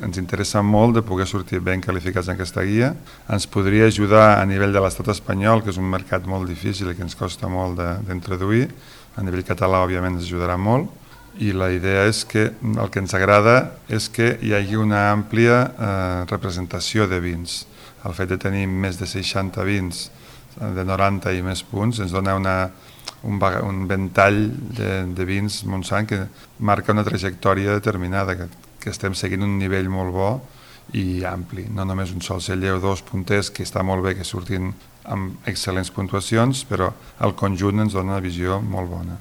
ens interessa molt de poder sortir ben qualificats en aquesta guia. Ens podria ajudar a nivell de l'estat espanyol, que és un mercat molt difícil i que ens costa molt d'introduir. A nivell català, òbviament, ens ajudarà molt. I la idea és que el que ens agrada és que hi hagi una àmplia representació de vins. El fet de tenir més de 60 vins de 90 i més punts ens dona un ventall de vins Montsant que marca una trajectòria determinada, que estem seguint un nivell molt bo i ampli, no només un sol celler o dos punters, que està molt bé que surtin amb excel·lents puntuacions, però el conjunt ens dona una visió molt bona.